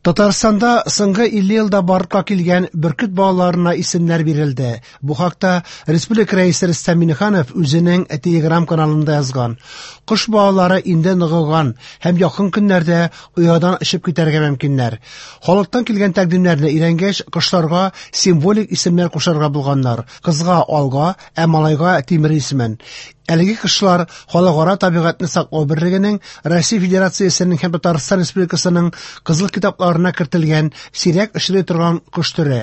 Татарстанда соңгы 50 елда барлыкка килгән бөркет балаларына исемнәр бирелде. Бу хакта республика Рәисе Рөстәм Миңнеханов үзенең Telegram каналында язган. Кош балалары инде ныгыган һәм якын көннәрдә оядан очып китәргә мөмкиннәр. Халыктан килгән тәкъдимнәрне өйрәнгәч, кошларга символик исемнәр кушарга булганнар. Кызга Алга, ә малайга Тимер исемен. Әлеге кошлар Халыкара табигатьне саклау берлегенең, Россия Федерациясенең һәм Татарстан Республикасының Кызыл китапларына кертелгән сирәк очрый торган кош төре.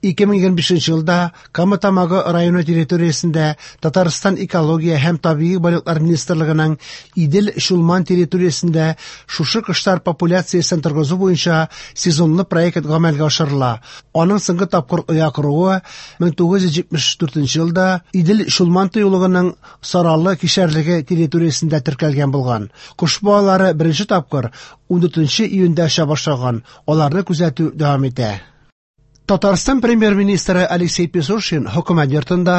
2025 елда Кама Тамагы районы территориясендә Татарстан Экология һәм табигый байлыклар министрлыгының Идел-Чулман территориясендә шушы кошлар популяциясен торгызу буенча сезонлы проект гамәлгә ашырыла. Аның соңгы тапкыр оя коруы 1974 елда Идел-Чулман тыюлыгының Саралы кишәрлеге территориясендә теркәлгән булган. Кош балалары беренче тапкыр 14 июньдә оча башлаган. Аларны күзәтү дәвам итә. Татарстан премьер-министры Алексей Песошин хөкүмәт йортында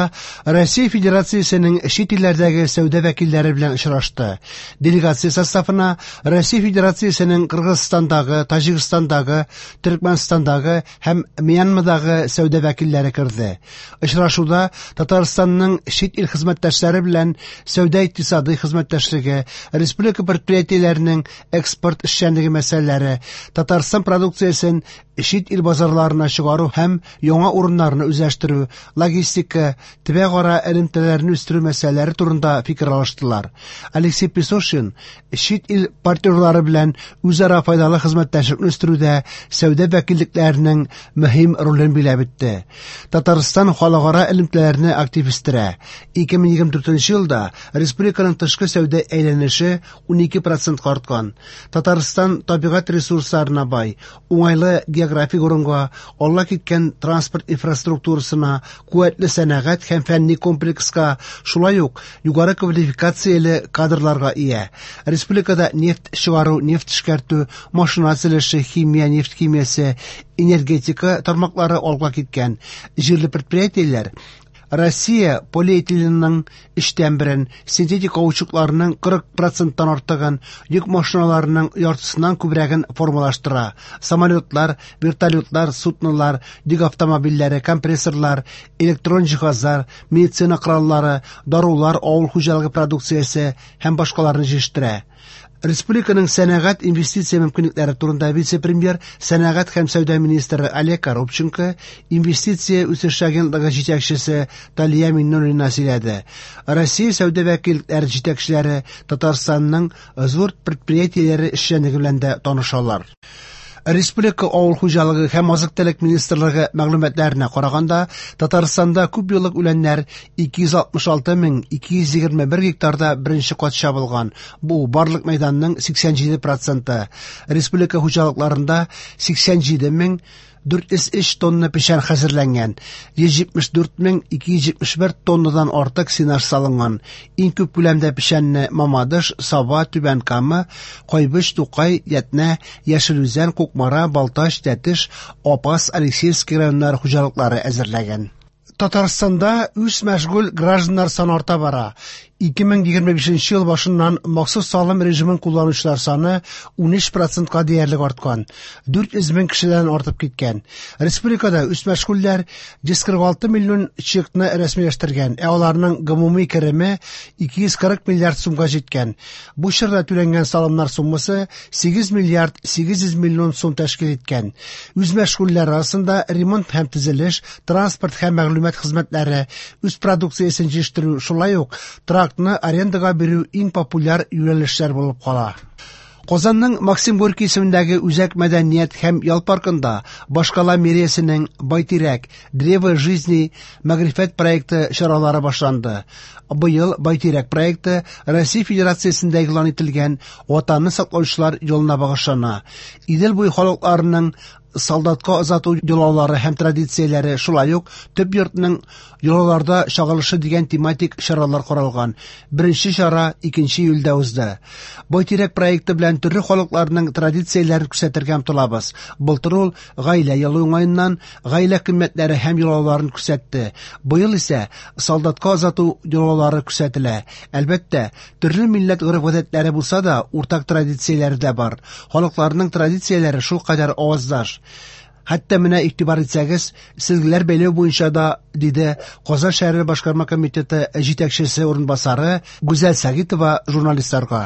Россия Федерациясенең чит илләрдәге сәүдә вәкилләре белән очрашты. Делегация составына Россия Федерациясенең Кыргызстандагы, Таҗикстандагы, Төркмәнстандагы һәм Мьянмадагы сәүдә вәкилләре керде. Очрашуда Татарстанның чит ил хезмәттәшләре белән сәүдә-икътисадый хезмәттәшлеге, республика предприятиеләренең экспорт эшчәнлеге мәсьәләләре, Татарстан продукциясен чит ил базарларына чыгару һәм яңа урыннарны үзләштерү, логистика, төбәкара элемтәләрне үстерү мәсьәләләре турында фикер алыштылар. Алексей Песошин чит ил партнерлары белән үзара файдалы хезмәттәшлекне үстерүдә сәүдә вәкиллекләренең мөһим ролен биләп үтте. Татарстан халыкара элемтәләрне актив үстерә. 2024 елда республиканың тышкы сәүдә әйләнеше 12% арткан. Татарстан табигать ресурсларына бай, уңайлы географик урынга, алга киткән транспорт инфраструктурасына, куәтле сәнәгать һәм фәнни комплекска, шулай ук югары квалификацияле кадрларга ия. Республикада нефть чыгару, нефть эшкәртү, машина төзелеше, химия, нефть химиясе, энергетика тармаклары алга киткән. Җирле предприятиеләр Россия полиэтиленының өчтән берен, синтетик каучукларның 40 проценттан артыгын, йөк машиналарының яртысыннан күбрәген формалаштыра. Самолетлар, вертолетлар, суднолар, йөк автомобильләре, компрессорлар, электрон җиһазлар, медицина кораллары, дарулар, авыл хуҗалыгы продукциясе һәм башкаларны җитештерә. Республиканың сәнәгать инвестиция мөмкинлекләре турында вице-премьер, сәнәгать һәм сәүдә министры Олег Коробченко, инвестиция үсеше агентлыгы җитәкчесе Талия Миннуллина сөйләде. Россия сәүдә вәкиллекләре җитәкчеләре Татарстанның зур предприятиеләре эшчәнлеге белән дә танышалар. Республика авыл хуҗалыгы һәм азык-төлек министрлыгы мәгълүматларына караганда, Татарстанда күп еллык үләннәр 266 221 гектарда беренче кат чабылган. Бу барлык мәйданның 87 проценты. Республика хуҗалыкларында 87 403 тонна печән хәзерләнгән, 174 271 тоннадан артык сенаж салынган. Иң күп күләмдә печәнне Мамадыш, Саба, Түбән Кама, Кайбыч, Тукай, Ятнә, Яшел Үзән, Кукмара, Балтач, Тәтеш, Апас, Алексеевский районнары хуҗалыклары әзерләгән. Татарстанда үзмәшгуль гражданнар саны арта бара. 2025 ел башыннан махсус салым режимын кулланучылар саны 13 процентка диярлек арткан. 400 мең кешедән артып киткән. Республикада үзмәшгульләр 146 миллион чекны рәсмиләштергән, ә аларның гомуми кереме 240 миллиард сумга җиткән. Бу чорда түләнгән салымнар суммасы 8 миллиард 800 миллион сум тәшкил иткән. Үзмәшгульләр арасында ремонт һәм төзелеш, транспорт һәм мәгълүмат хезмәтләре, үз продукциясен җитештерү, шулай ук торакны арендага бирү иң популяр юнәлешләр булып кала. Казанның Максим Горький исемендәге Үзәк мәдәният һәм ял паркында башкала мэриясенең Байтирәк Древо жизни мәгърифәт проекты чаралары башланды. Быел Байтирәк проекты Россия Федерациясендә игълан ителгән Ватанны саклаучылар елына багышлана. Идел буе халыкларының солдатка озату йолалары һәм традицияләре, шулай ук төп йортның йолаларда чагылышы дигән тематик чаралар каралган. Беренче чара 2 июльдә узды. Байтирәк проекты белән төрле халыкларның традицияләрен күрсәтергә омтылабыз. Былтыр ул Гаилә елы уңаеннан гаилә кыйммәтләре һәм йолаларын күрсәтте. Быел исә солдатка озату йолалары күрсәтелә. Әлбәттә, төрле милләт гореф-гадәтләре булса да, уртак традицияләре дә бар. Халыкларның традицияләре шулкадәр аваздаш. Хәтта менә игътибар итсәгез, сөлгеләр бәйләү буенча да, диде Казан шәһәре башкарма комитеты җитәкчесе урынбасары Гүзәл Сәгитова журналистларга.